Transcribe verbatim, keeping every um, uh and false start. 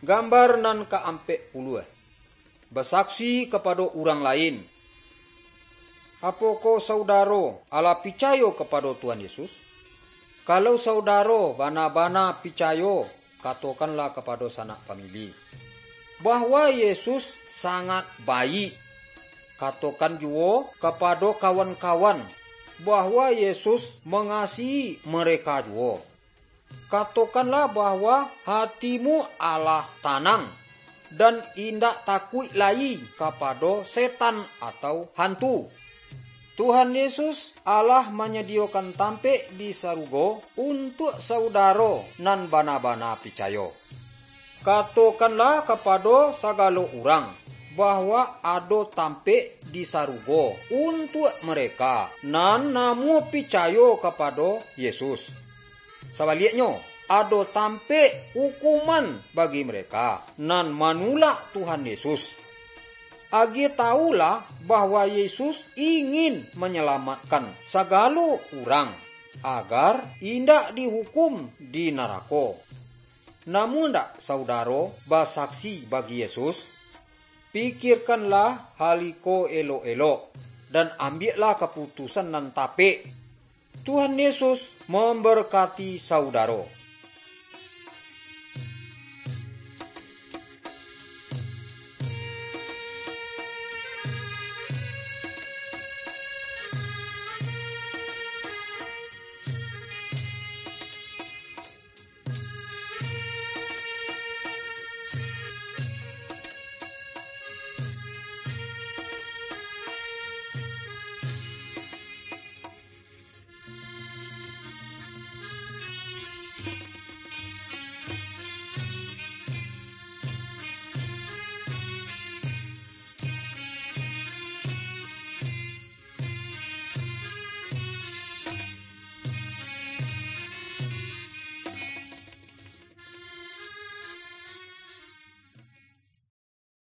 Gambar nan ka ampek puluah. Basaksi kapado urang lain. Apokoh saudaro alah picayo kapado Tuhan Yesus? Kalau saudaro bana-bana picayo, katokanlah kapado sanak famili, bahwa Yesus sangat baik. Katokan juwo kapado kawan-kawan, bahwa Yesus mangasihi mereka juwo. Katokanlah bahwa hatimu alah tanang, dan indak takuik lai kapado setan atau hantu. Tuhan Yesus alah manyadiyokan tampek di sarugo untuak saudaro nan bana-bana picayo. Katokanlah kapado sagalo urang, bahwa ado tampek di sarugo untuak mereka nan namuah picayo kapado Yesus. Sabaliaknyo, ado tampek ukuman bagi mereka nan manulak Tuhan Yesus. Agiah tawulah bahwa Yesus ingin manyalamatkan sagalo urang, agar indak dihukum di narako. Namuah ndak saudaro basaksi bagi Yesus? Pikirkanlah hal iko elok-elok, dan ambiaklah kaputusan nan tapek. Tuhan Yesus mambarkati saudaro.